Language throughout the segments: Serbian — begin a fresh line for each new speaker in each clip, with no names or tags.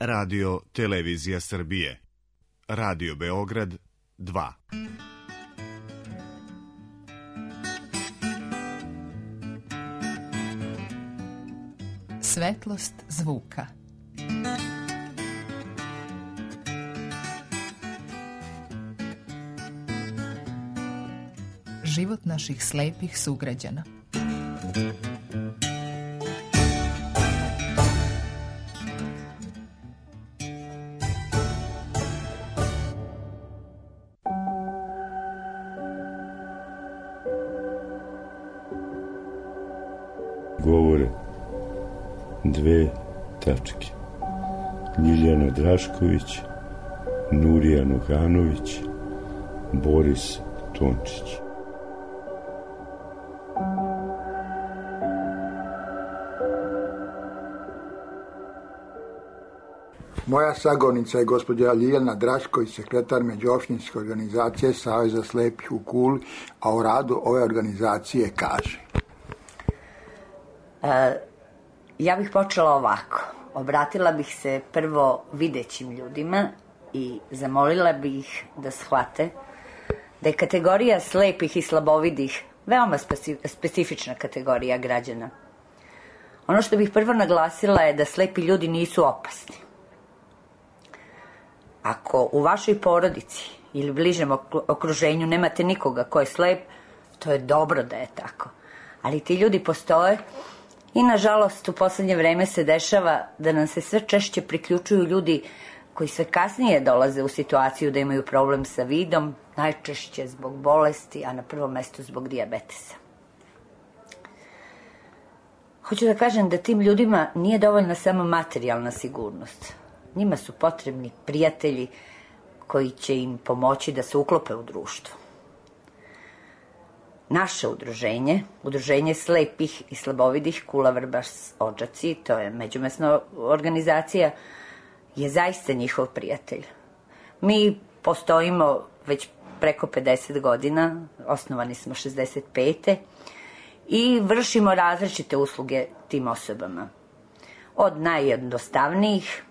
Radio Televizija Srbije. Radio Beograd 2.
Svetlost zvuka. Život naših slepih sugrađana.
Govore dve tačke. Ljiljana Drašković, Nurija Nuhanović, Boris Tončić.
Moja sagovornica je gospođa Ljiljana Drašković, sekretar međuopštinske organizacije Saveza slepih u Kuli, a o radu ove organizacije kaže.
Ja bih počela ovako. Obratila bih se prvo videćim ljudima i zamolila bih da shvate da je kategorija slepih i slabovidih veoma specifična kategorija građana. Ono što bih prvo naglasila je da slepi ljudi nisu opasni. Ako u vašoj porodici ili bližem okruženju nemate nikoga ko je slep, to je dobro da je tako. Ali ti ljudi postoje i nažalost u poslednje vreme se dešava da nam se sve češće priključuju ljudi koji sve kasnije dolaze u situaciju da imaju problem sa vidom, najčešće zbog bolesti, a na prvom mestu zbog dijabetesa. Hoću da kažem da tim ljudima nije dovoljna samo materijalna sigurnost. Njima su potrebni prijatelji koji će im pomoći da se uklope u društvo. Naše udruženje, Udruženje slepih i slabovidih Kula Vrbas Odžaci, to je međumesna organizacija, je zaista njihov prijatelj. Mi postojimo već preko 50 godina, osnovani smo 65. i vršimo različite usluge tim osobama. Od najjednostavnijih,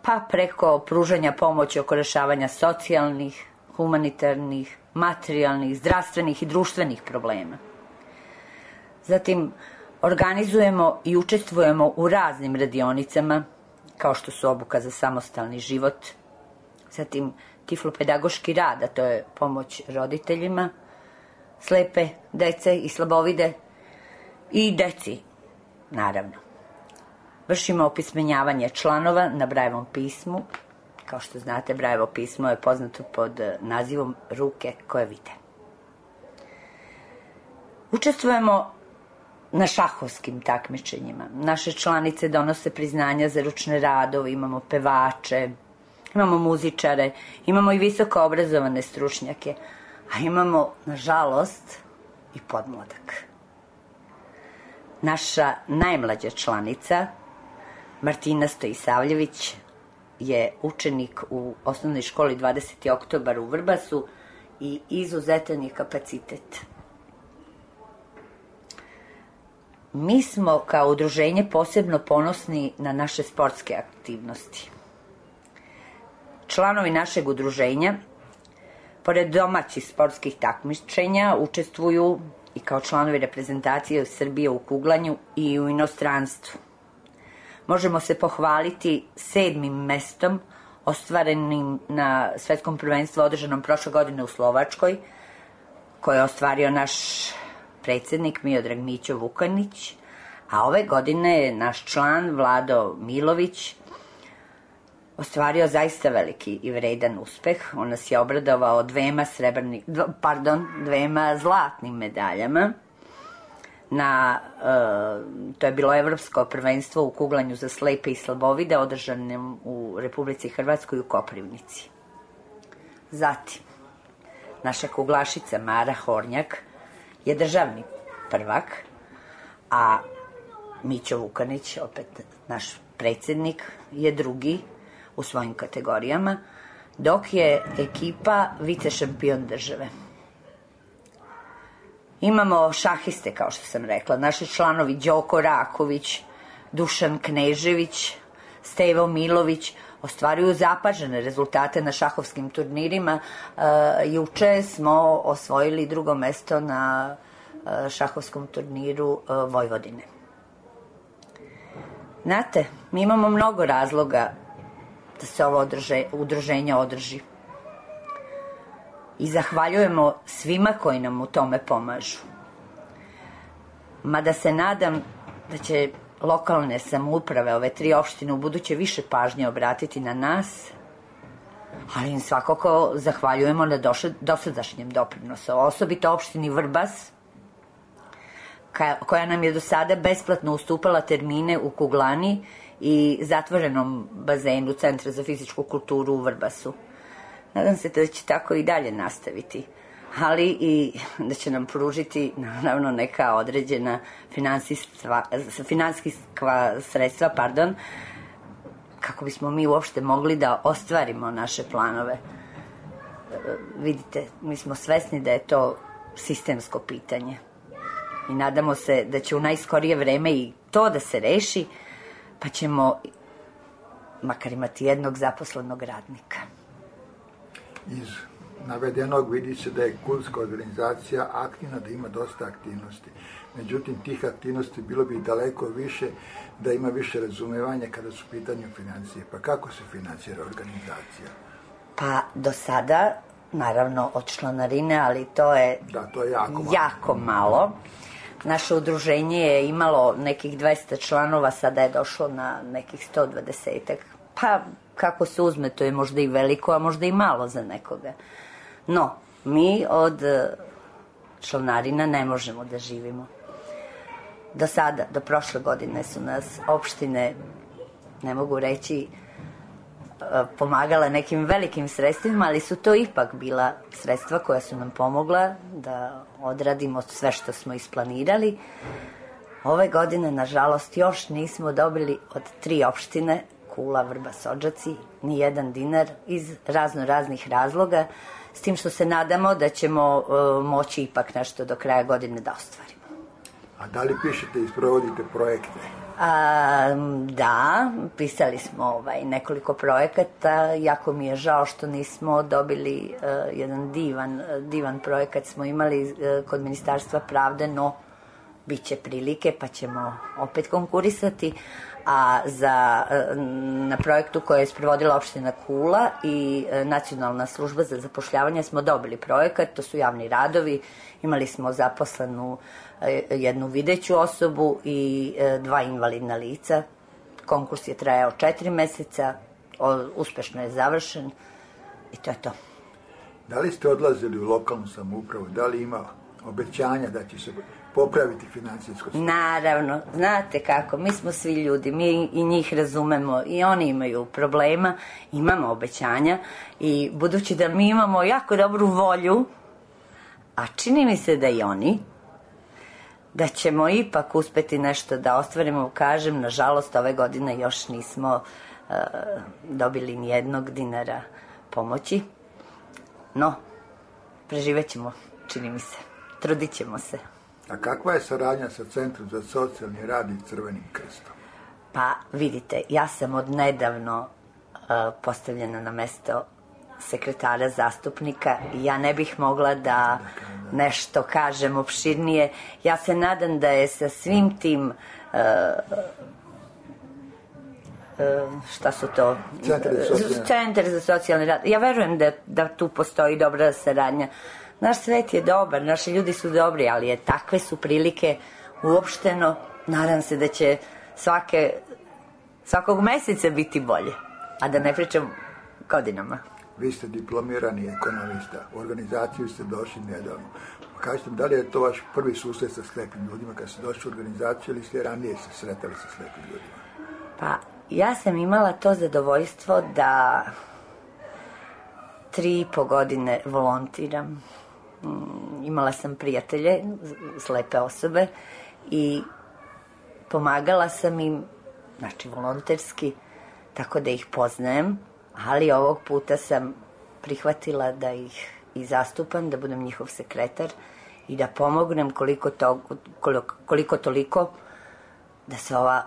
pa preko pružanja pomoći oko rešavanja socijalnih, humanitarnih, materijalnih, zdravstvenih i društvenih problema. Zatim, organizujemo i učestvujemo u raznim radionicama, kao što su obuka za samostalni život, zatim tiflopedagoški rad, a to je pomoć roditeljima, slepe dece i slabovide i deci, naravno. Vršimo opismenjavanje članova na Brajevom pismu. Kao što znate, Brajevo pismo je poznato pod nazivom Ruke koje vide. Učestvujemo na šahovskim takmičenjima. Naše članice donose priznanja za ručne radove, imamo pevače, imamo muzičare, imamo i visoko obrazovane stručnjake, a imamo, nažalost, i podmladak. Naša najmlađa članica, Martina Stojisavljević, je učenik u osnovnoj školi 20. oktobar u Vrbasu i izuzetan je kapacitet. Mi smo kao udruženje posebno ponosni na naše sportske aktivnosti. Članovi našeg udruženja, pored domaćih sportskih takmičenja, učestvuju i kao članovi reprezentacije Srbije u kuglanju i u inostranstvu. Možemo se pohvaliti 7. mestom ostvarenim na svetskom prvenstvu održanom prošle godine u Slovačkoj, koje je ostvario naš predsednik Miodrag Mićo Vukanić, a ove godine je naš član Vlado Milović ostvario zaista veliki i vredan uspeh. On nas je obradovao dvema zlatnim medaljama. To je bilo evropsko prvenstvo u kuglanju za slepe i slabovide održanem u Republici Hrvatskoj u Koprivnici. Zatim, naša kuglašica Mara Hornjak je državni prvak, a Mićo Vukanić, opet naš predsednik, je drugi u svojim kategorijama, dok je ekipa vice šampion države. Imamo šahiste, kao što sam rekla, naši članovi Đoko Raković, Dušan Knežević, Stevo Milović ostvaruju zapažene rezultate na šahovskim turnirima. Juče smo osvojili drugo mesto na šahovskom turniru Vojvodine. Znate, mi imamo mnogo razloga da se ovo udruženje održi. I zahvaljujemo svima koji nam u tome pomažu. Mada se nadam da će lokalne samouprave, ove 3 opštine, u buduće više pažnje obratiti na nas, ali im svakako zahvaljujemo na dosadašnjem doprinosu, osobito opštini Vrbas, koja nam je do sada besplatno ustupala termine u kuglani i zatvorenom bazenu Centra za fizičku kulturu u Vrbasu. Nadam se da će tako i dalje nastaviti, ali i da će nam pružiti, naravno, neka određena finansijska sredstva, kako bismo mi uopšte mogli da ostvarimo naše planove. Vidite, mi smo svesni da je to sistemsko pitanje i nadamo se da će u najskorije vreme i to da se reši, pa ćemo makar imati jednog zaposlenog radnika.
Iz navedenog vidi se da je kulska organizacija aktivna, da ima dosta aktivnosti. Međutim, tih aktivnosti bilo bi daleko više, da ima više razumevanja kada su u pitanju financije. Pa kako se financira organizacija?
Pa do sada, naravno, od članarine, ali to je, jako malo. Naše udruženje je imalo nekih 200 članova, sada je došlo na nekih 120-ak. Pa, kako se uzme, to je možda i veliko, a možda i malo za nekoga. No, mi od članarina ne možemo da živimo. Do sada, do prošle godine su nas opštine, ne mogu reći, pomagala nekim velikim sredstvima, ali su to ipak bila sredstva koja su nam pomogla da odradimo sve što smo isplanirali. Ove godine, nažalost, još nismo dobili od 3 opštine, Kula, Vrbas, Odžaci, ni jedan dinar iz raznih razloga, s tim što se nadamo da ćemo moći ipak nešto do kraja godine da ostvarimo.
A da li pišete i sprovodite projekte?
Da, pisali smo nekoliko projekata. Jako mi je žao što nismo dobili jedan divan projekat smo imali kod Ministarstva pravde, no bit će prilike pa ćemo opet konkurisati. A na projektu koje je sprovodila opština Kula i Nacionalna služba za zapošljavanje smo dobili projekat, to su javni radovi, imali smo zaposlenu jednu videću osobu i 2 invalidna lica. Konkurs je trajao 4 meseca, uspešno je završen i to je to.
Da li ste odlazili u lokalnu samoupravu, da li ima obećanja da će se popraviti financijsko stanje?
Naravno, znate kako, mi smo svi ljudi, mi i njih razumemo i oni imaju problema, imamo obećanja i budući da mi imamo jako dobru volju, a čini mi se da i oni, da ćemo ipak uspeti nešto da ostvarimo. Kažem, nažalost, ove godine još nismo dobili ni jednog dinara pomoći, no, preživet ćemo, čini mi se, trudit ćemo se.
A kakva je saradnja sa Centrom za socijalni rad i Crvenim krstom?
Pa, vidite, ja sam odnedavno postavljena na mesto sekretara zastupnika i ja ne bih mogla da nešto kažem opširnije. Ja se nadam da je sa svim tim šta su to? Centar za socijalni rad. Ja verujem da tu postoji dobra saradnja. Naš svet je dobar, naši ljudi su dobri, ali takve su prilike uopšteno. Nadam se da će svakog meseca biti bolje, a da ne pričam godinama.
Vi ste diplomirani ekonomista, u organizaciju ste došli nedavno. Kažete mi, da li je to vaš prvi susret sa slepim ljudima kad ste došli u organizaciju ili ste ranije se sretali sa slepim ljudima?
Pa, ja sam imala to zadovoljstvo da 3,5 godine volontiram. Imala sam prijatelje, slepe osobe i pomagala sam im, znači volonterski, tako da ih poznajem, ali ovog puta sam prihvatila da ih i zastupam, da budem njihov sekretar i da pomognem koliko toliko da se ova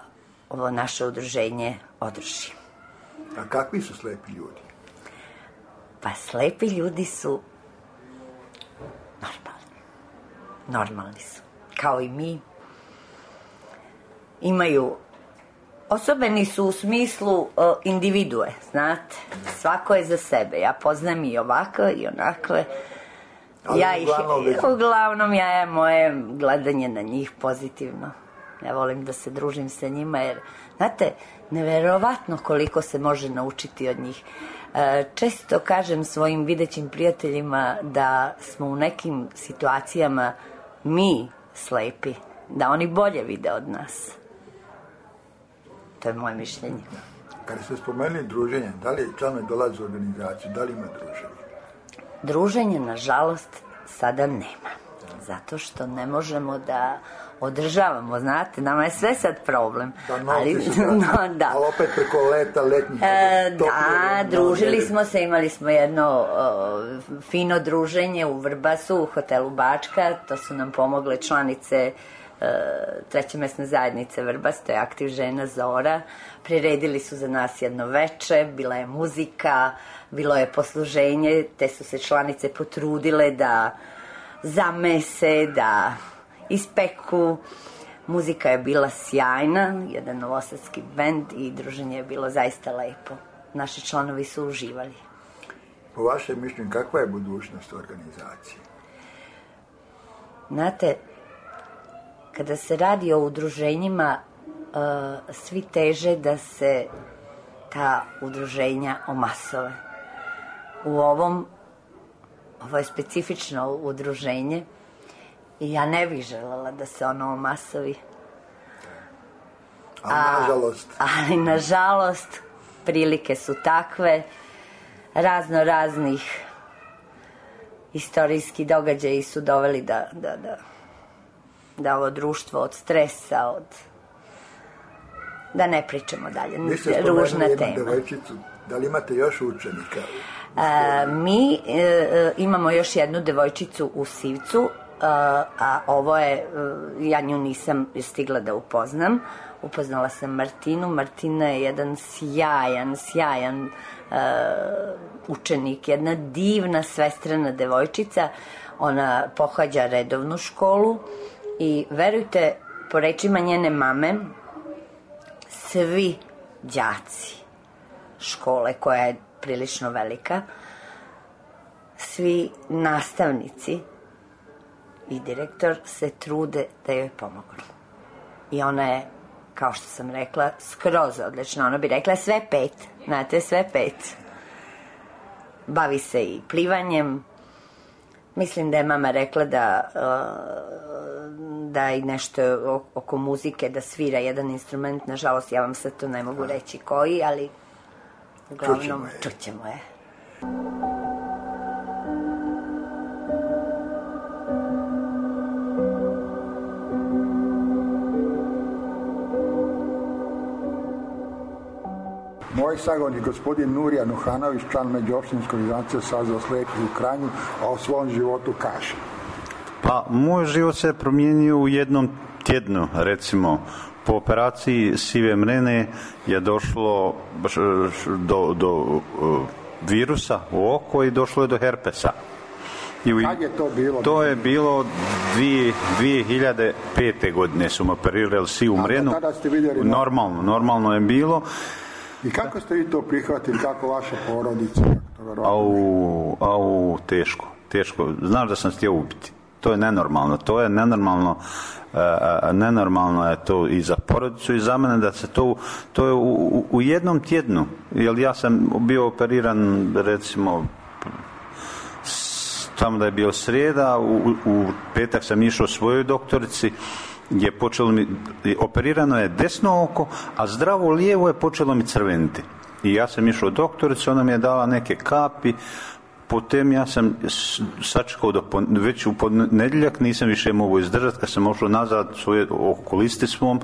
ovo naše udruženje održi.
A kakvi su slepi ljudi?
Pa slepi ljudi su normalni su, kao i mi. Imaju, osobeni su u smislu individue, znate, svako je za sebe. Ja poznam i ovakve i onakve. Uglavnom ja je moje gledanje na njih pozitivno. Ja volim da se družim sa njima jer, znate, neverovatno koliko se može naučiti od njih. Često kažem svojim videćim prijateljima da smo u nekim situacijama mi slepi, da oni bolje vide od nas. To je moje mišljenje.
Kada ste spomenuli druženje, da li članovi dolaze u organizaciju, da li ima druženje?
Druženje, nažalost, sada nema. Zato što ne možemo da održavamo, znate, nama je sve sad problem.
Da, ali opet preko leta, letnjih.
Da, družili smo se, imali smo jedno fino druženje u Vrbasu, u hotelu Bačka, to su nam pomogle članice treće mesne zajednice Vrbas, to je Aktiv žena Zora. Priredili su za nas jedno veče, bila je muzika, bilo je posluženje, te su se članice potrudile da zamese, da ispeku. Muzika je bila sjajna, jedan novosadski bend i druženje je bilo zaista lepo. Naši članovi su uživali.
Po vašem mišljenju, kakva je budućnost organizacije?
Znate, kada se radi o udruženjima, svi teže da se ta udruženja omasove. Ovo je specifično udruženje i ja ne bih želela da se ono omasovi. Ali nažalost, prilike su takve, raznih istorijski događaji su doveli da ovo društvo od stresa, da ne pričamo dalje, ružna tema.
Devojčicu. Da li imate još učenika?
Mi imamo još jednu devojčicu u Sivcu, a ovo je, ja nju nisam stigla da upoznam. Upoznala sam Martinu. Martina je jedan sjajan učenik, jedna divna svestrana devojčica. Ona pohađa redovnu školu i verujte, po rečima njene mame, svi đaci škole, koja je prilično velika, svi nastavnici i direktor se trude da joj pomognu. I ona je, kao što sam rekla, skroz odlična. Ona bi rekla sve 5, znate, sve 5. Bavi se i plivanjem. Mislim da je mama rekla da i nešto oko muzike, da svira jedan instrument. Nažalost, ja vam sad to ne mogu reći koji, ali uglavnom čućemo je.
Moj sagovornik, gospodin Nurija Nuhanović, član međuopštinske organizacije Saveza slepih u Kranju, a o svom životu kaže.
Pa, moj život se promijenio u jednom tjednu, recimo. Po operaciji sive mrene je došlo do virusa u oko i došlo je do herpesa.
Kad je to bilo?
To je bilo 2005. godine su me operirali sivu mrenu.
Tada ste vidjeli?
Normalno je bilo.
I kako ste vi to prihvatili, kako vaša porodica?
Teško. Znaš da sam htio ubiti. To je nenormalno. Nenormalno je to i za porodicu i za mene da se to je u jednom tjednu. Jer ja sam bio operiran, recimo, tamo da je bio srijeda, u petak sam išao svojoj doktorici, je počelo mi, operirano je desno oko, a zdravo lijevo je počelo mi crveniti. I ja sam išao doktoricu, ona mi je dala neke kapi, potom ja sam sačekao već u ponedjeljak, nisam više mogu izdržati, kad sam ošao nazad svoje okulisti svom,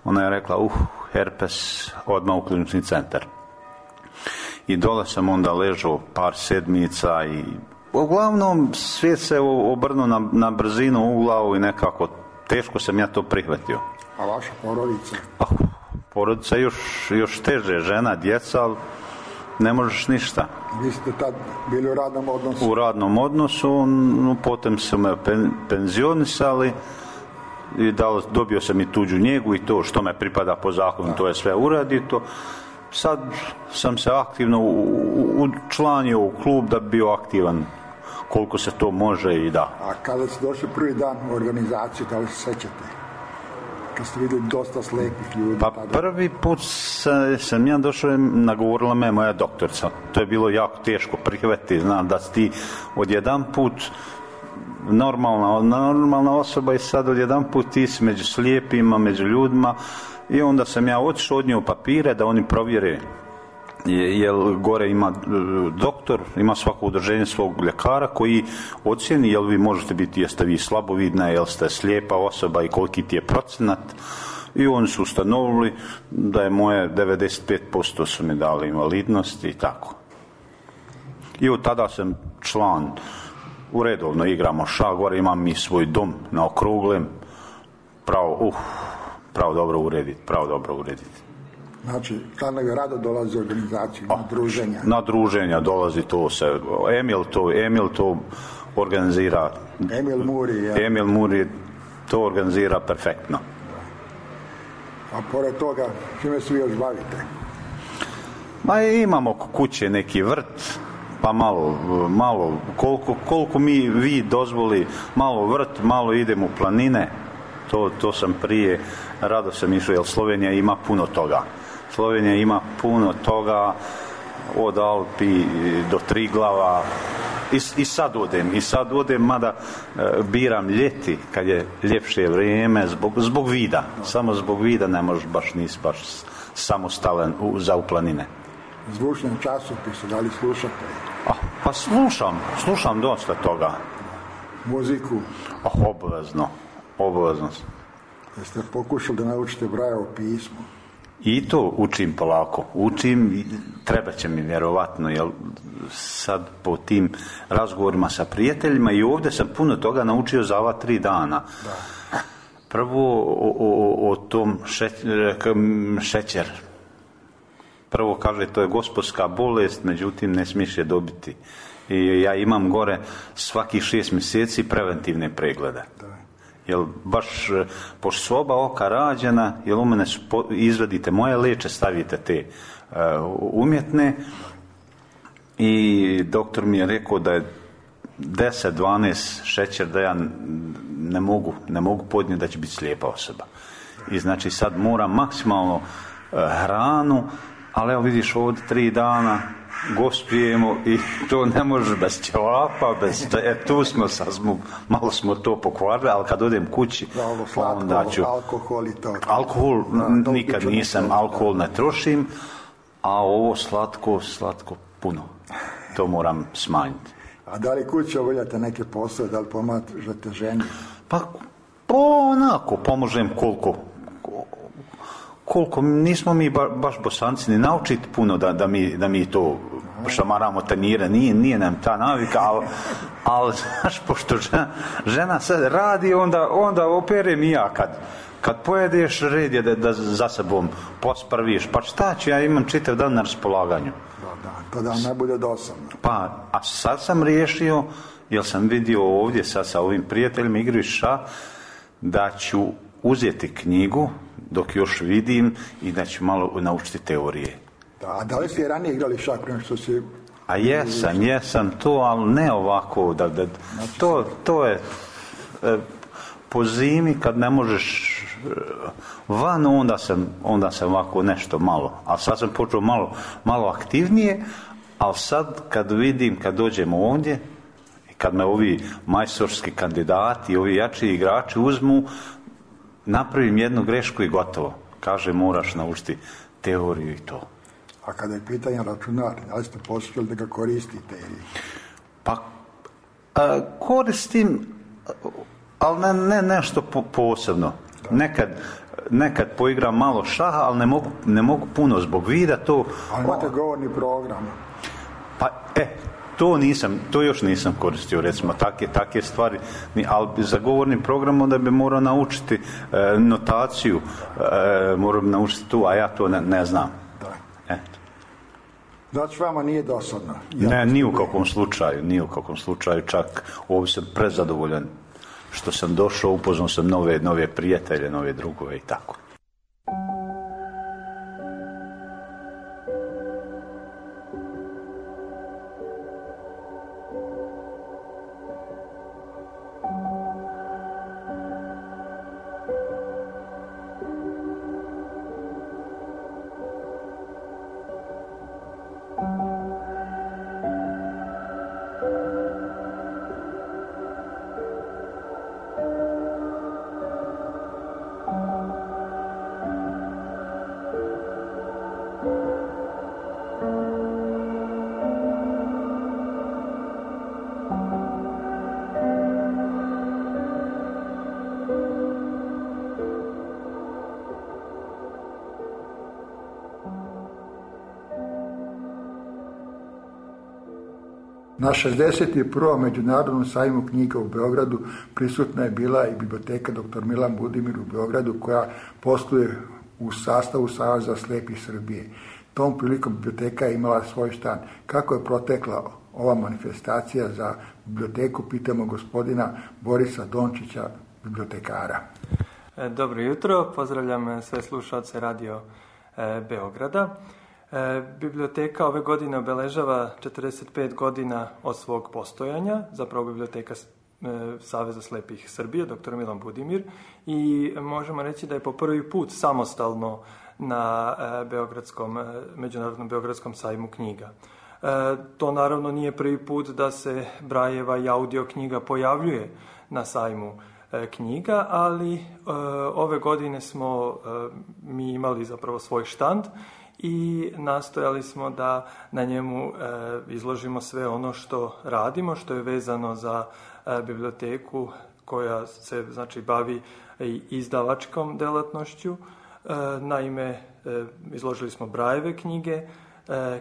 ona je rekla, herpes, odmah u klinični centar. I dole sam onda ležao par sedmica i uglavnom svijet se obrnuo na brzinu u glavu i nekako teško sam ja to prihvatio.
A vaša porodica?
porodica još teže, žena, djeca, ali ne možeš ništa.
Vi ste tad bili u radnom odnosu?
U radnom odnosu, potom su me penzionisali i dobio sam i tuđu njegu i to što me pripada po zakonu, to je sve uradito. Sad sam se aktivno učlanio u klub da bi bio aktivan koliko se to može i da.
A kada ste došli prvi dan u organizaciju, da li se sećate? Kad ste vidjeli dosta slepih ljudi?
Pa prvi put sam ja došao, nagovorila me moja doktorica. To je bilo jako teško prihvatiti, znam da si ti odjedan put normalna osoba i sad odjedan put ti si među slijepima, među ljudima i onda sam ja otišao od nje u papire da oni provjere jer gore ima doktor, ima svako udruženje svog ljekara koji ocijeni jel vi možete biti, jeste vi slabovidna, jel ste slijepa osoba i koliki ti je procenat i oni su ustanovili da je moje 95% su mi dali invalidnost i tako. I od tada sam član, uredovno igramo šah, gore imam i svoj dom na Okruglem, pravo dobro urediti.
Znači, članovi rado dolaze u organizaciju, na druženja.
Na druženja dolazi to se, Emil to organizira. Emil Muri to organizira perfektno.
A pored toga, čime se vi još bavite?
Ma imamo kuće neki vrt, pa malo koliko vi dozvoli, malo vrt, malo idemo u planine. To sam prije, rado sam išao, jer Slovenija ima puno toga. Od Alpi do Triglava i sad odem, mada biram ljeti kad je ljepše vrijeme zbog vida, samo zbog vida ne možeš nisi baš samostalan za u planine.
Zvučne časopise, da li slušate?
Pa slušam dosta toga.
Muziku?
Obavezno.
Jeste pokušali da naučite Brajevo pismo?
I to učim polako. Treba će mi vjerovatno, jer sad po tim razgovorima sa prijateljima i ovdje sam puno toga naučio za ova 3 dana. Da. Prvo o tom šećer. Prvo kaže to je gospodska bolest, međutim ne smiješ je dobiti. I ja imam gore svakih 6 mjeseci preventivne preglede. Da. Jel baš pošto su oba oka rađena, jel u mene izvadite moje leče, stavite te umjetne i doktor mi je rekao da je 10-12 šećer da ja ne mogu podnijeti da će biti slijepa osoba. I znači sad moram maksimalno hranu, ali evo vidiš ovdje 3 dana gostujemo i to ne može bez ćevapa, tu smo malo smo to pokvarili, ali kad odem kući onda ću alkohol nikad nisam, alkohol ne trošim, a ovo slatko puno, to moram smanjiti.
A da li kući obavljate neke poslove, da li pomažete ženi?
Pa onako pomožem koliko nismo mi baš Bosanci ni naučiti puno da mi to šamaramo tanjira, nije nam ta navika, ali znaš, pošto žena sad radi, onda operem i ja kad pojedeš, red je da za sobom posprviš, pa šta ću, ja imam čitav dan na raspolaganju.
Da da ne bude dosadno.
Pa, a sad sam riješio, jer sam vidio ovdje sad sa ovim prijateljima igraju šah, da ću uzeti knjigu dok još vidim i da ću malo naučiti teorije.
A da li ste ranije igrali šah prema što si...
A jesam to, ali ne ovako. To je po zimi kad ne možeš van, onda sam ovako nešto malo. A sad sam počeo malo aktivnije, ali sad kad vidim, kad dođemo ovdje, kad me ovi majstorski kandidati, ovi jači igrači uzmu, napravim jednu grešku i gotovo. Kaže, moraš naučiti teoriju i to.
A kada je pitanje računar, da li ste poslali da ga koristite?
Pa, koristim, ali ne nešto posebno. Nekad poigram malo šaha, ali ne mogu puno zbog vida to.
Ali imate govorni program.
Pa, To još nisam koristio, recimo, takve stvari, ali za govorni program onda bi morao naučiti notaciju, morao bi naučiti tu, a ja to ne znam.
Znači vama nije dosadno?
Ne, ni u kakvom slučaju, čak ovdje sam prezadovoljan što sam došao, upoznao sam nove prijatelje, nove drugove i tako.
Na 61. Međunarodnom sajmu knjiga u Beogradu prisutna je bila i biblioteka dr. Milan Budimir u Beogradu, koja posluje u sastavu Saveza slijepih Srbije. Tom prilikom biblioteka je imala svoj štand. Kako je protekla ova manifestacija za biblioteku, pitamo gospodina Borisa Dončića, bibliotekara.
Dobro jutro, pozdravljam sve slušalce Radio Beograda. Biblioteka ove godine obeležava 45 godina od svog postojanja, zapravo biblioteka Saveza slijepih Srbije, dr. Milan Budimir, i možemo reći da je po prvi put samostalno na Međunarodnom Beogradskom sajmu knjiga. To naravno nije prvi put da se Brajeva i audio knjiga pojavljuje na sajmu knjiga, ali ove godine smo mi imali zapravo svoj štand i nastojali smo da na njemu izložimo sve ono što radimo, što je vezano za biblioteku koja se bavi i izdavačkom delatnošću. Naime, izložili smo Brajeve knjige,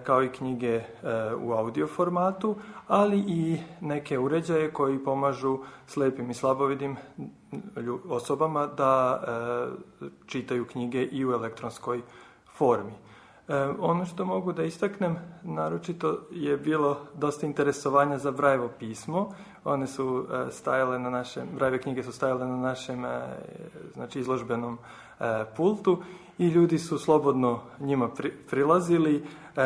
kao i knjige u audio formatu, ali i neke uređaje koji pomažu slijepim i slabovidim osobama da čitaju knjige i u elektronskoj formi. Ono što mogu da istaknem, naročito je bilo dosta interesovanja za Brajevo pismo. One su stajale na našem, Brajeve knjige su stajale na našem izložbenom pultu i ljudi su slobodno njima prilazili.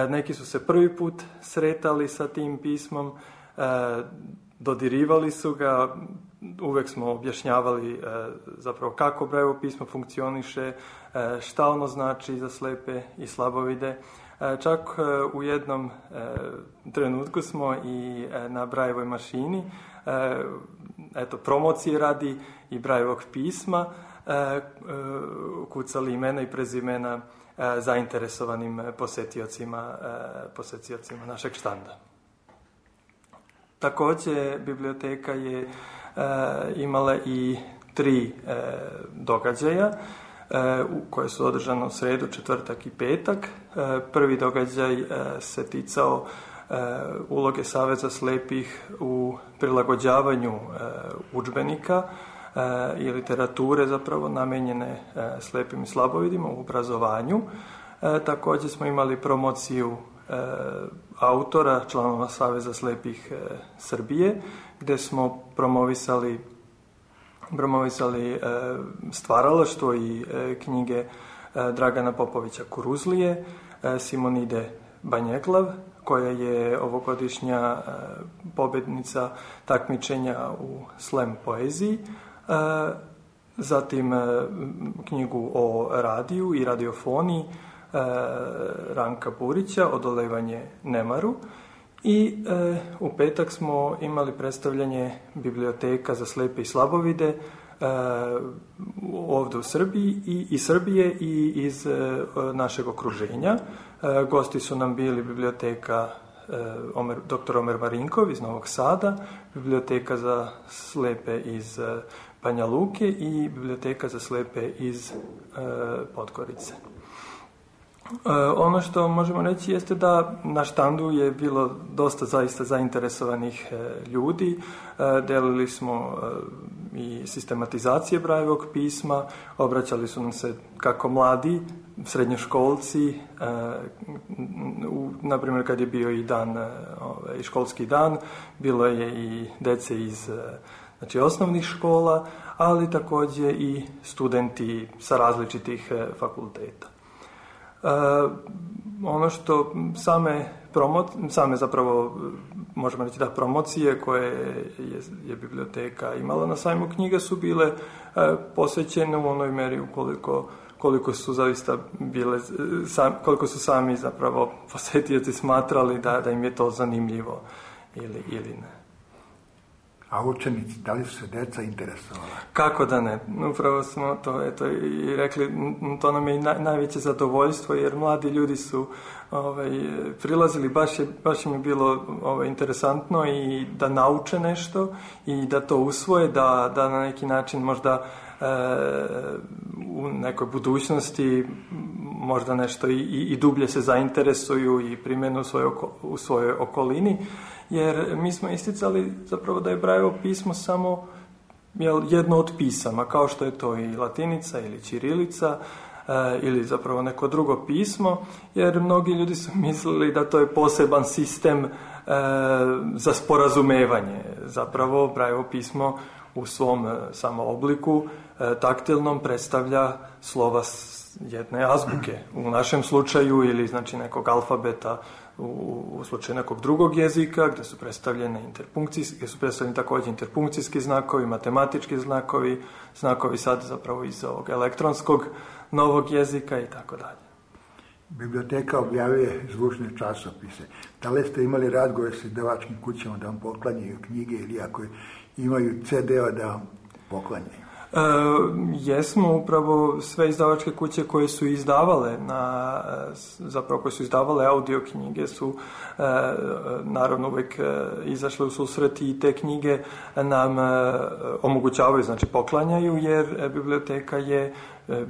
Neki su se prvi put sretali sa tim pismom, dodirivali su ga, uvek smo objašnjavali zapravo kako Brajevo pismo funkcioniše, šta ono znači za slepe i slabovide. Čak u jednom trenutku smo i na Brajevoj mašini, promocije radi i Brajevog pisma, kucali imena i prezimena zainteresovanim posetiocima našeg štanda. Također, biblioteka je imala i 3 događaja koje su održane u sredu, četvrtak i petak. Prvi događaj se ticao uloge Saveza slijepih u prilagođavanju udžbenika i literature zapravo namijenjene slijepim i slabovidima u obrazovanju. Također smo imali promociju autora, članova Saveza slijepih Srbije, gdje smo promovisali stvaralaštvo i knjige Dragana Popovića Kuruzlije, Simonide Banjeklav, koja je ovogodišnja pobjednica takmičenja u slam poeziji, zatim knjigu o radiju i radiofoniji Ranka Burića, Odolevanje Nemaru, i u petak smo imali predstavljanje biblioteka za slepe i slabovide ovdje u Srbiji i iz Srbije i iz našeg okruženja. Gosti su nam bili biblioteka dr. Omer Marinkov iz Novog Sada, biblioteka za slepe iz Banja Luke i biblioteka za slepe iz Podgorice. Ono što možemo reći jeste da na štandu je bilo dosta zaista zainteresovanih ljudi. Delili smo i sistematizacije Brajevog pisma, obraćali su nam se kako mladi, srednjoškolci, na primjer kad je bio i školski dan, bilo je i dece iz osnovnih škola, ali također i studenti sa različitih fakulteta. Ono što same zapravo možemo reći da promocije koje je biblioteka imala na sajmu knjiga su bile posvećene u onoj meri koliko su zaista bile, koliko su sami zapravo posjetioci smatrali da im je to zanimljivo ili ne.
A učenici, da li su se deca interesovala?
Kako da ne? Upravo smo to i rekli, to nam je i najveće zadovoljstvo, jer mladi ljudi su prilazili, baš im je bilo interesantno i da nauče nešto i da to usvoje, da na neki način možda u nekoj budućnosti možda nešto i dublje se zainteresuju i primjenu u svojoj okolini, jer mi smo isticali zapravo da je Brajevo pismo samo jedno od pisama, kao što je to i latinica ili ćirilica ili zapravo neko drugo pismo, jer mnogi ljudi su mislili da to je poseban sistem za sporazumevanje. Zapravo Brajevo pismo u svom samo obliku taktilnom predstavlja slova jedne azbuke u našem slučaju, ili znači nekog alfabeta u slučaju nekog drugog jezika, gdje su predstavljeni također interpunkcijski znakovi, matematički znakovi sad zapravo iz ovog elektronskog novog jezika i tako dalje.
Biblioteka objavljuje zvučne časopise. Da li ste imali razgovor sa izdavačkim kućama da vam poklanjaju knjige ili ako imaju CD-a da vam poklanjaju?
Jesmo, upravo sve izdavačke kuće koje su izdavale koje su izdavale audio knjige su naravno uvijek izašle u susret i te knjige nam omogućavaju, znači poklanjaju, jer biblioteka je,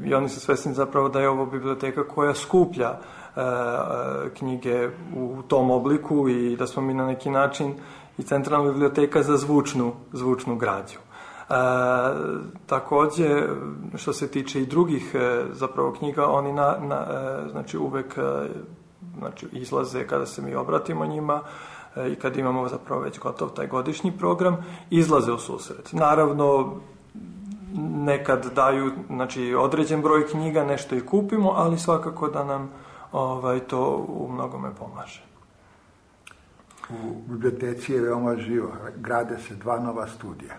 i oni su svjesni zapravo da je ovo biblioteka koja skuplja knjige u tom obliku i da smo mi na neki način i centralna biblioteka za zvučnu građu. Također, što se tiče i drugih zapravo knjiga, oni znači uvek izlaze kada se mi obratimo njima i kad imamo zapravo već gotov taj godišnji program, izlaze u susret. Naravno, nekad daju određen broj knjiga, nešto i kupimo, ali svakako da nam to u mnogome pomaže.
U biblioteci je veoma živo, grade se 2 nova studija.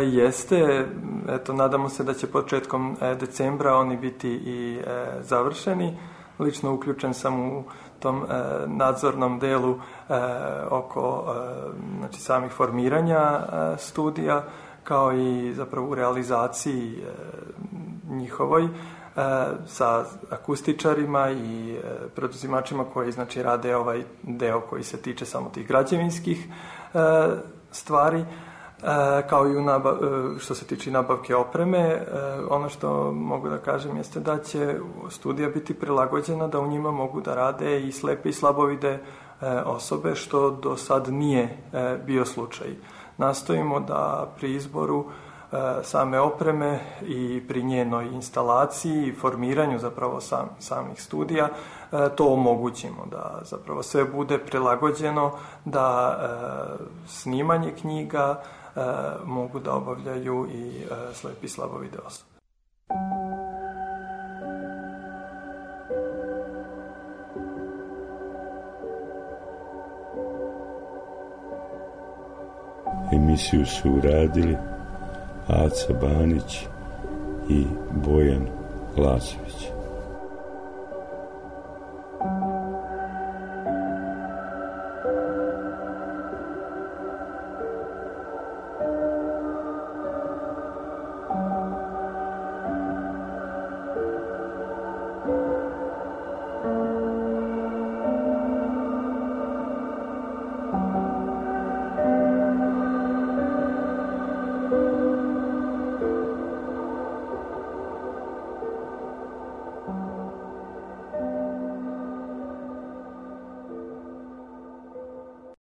Jeste, nadamo se da će početkom decembra oni biti i završeni. Lično uključen sam u tom nadzornom delu oko samih formiranja studija, kao i zapravo u realizaciji njihovoj sa akustičarima i preduzimačima koji rade ovaj deo koji se tiče samo tih građevinskih stvari, kao i što se tiče nabavke opreme. Ono što mogu da kažem jeste da će studija biti prilagođena da u njima mogu da rade i slepe i slabovide osobe, što do sad nije bio slučaj. Nastojimo da pri izboru same opreme i pri njenoj instalaciji i formiranju zapravo samih studija to omogućimo, da zapravo sve bude prilagođeno, da snimanje knjiga mogu da obavljaju i slepi i slabovide osobe.
Emisiju su uradili Aca Banić i Bojan Lazović.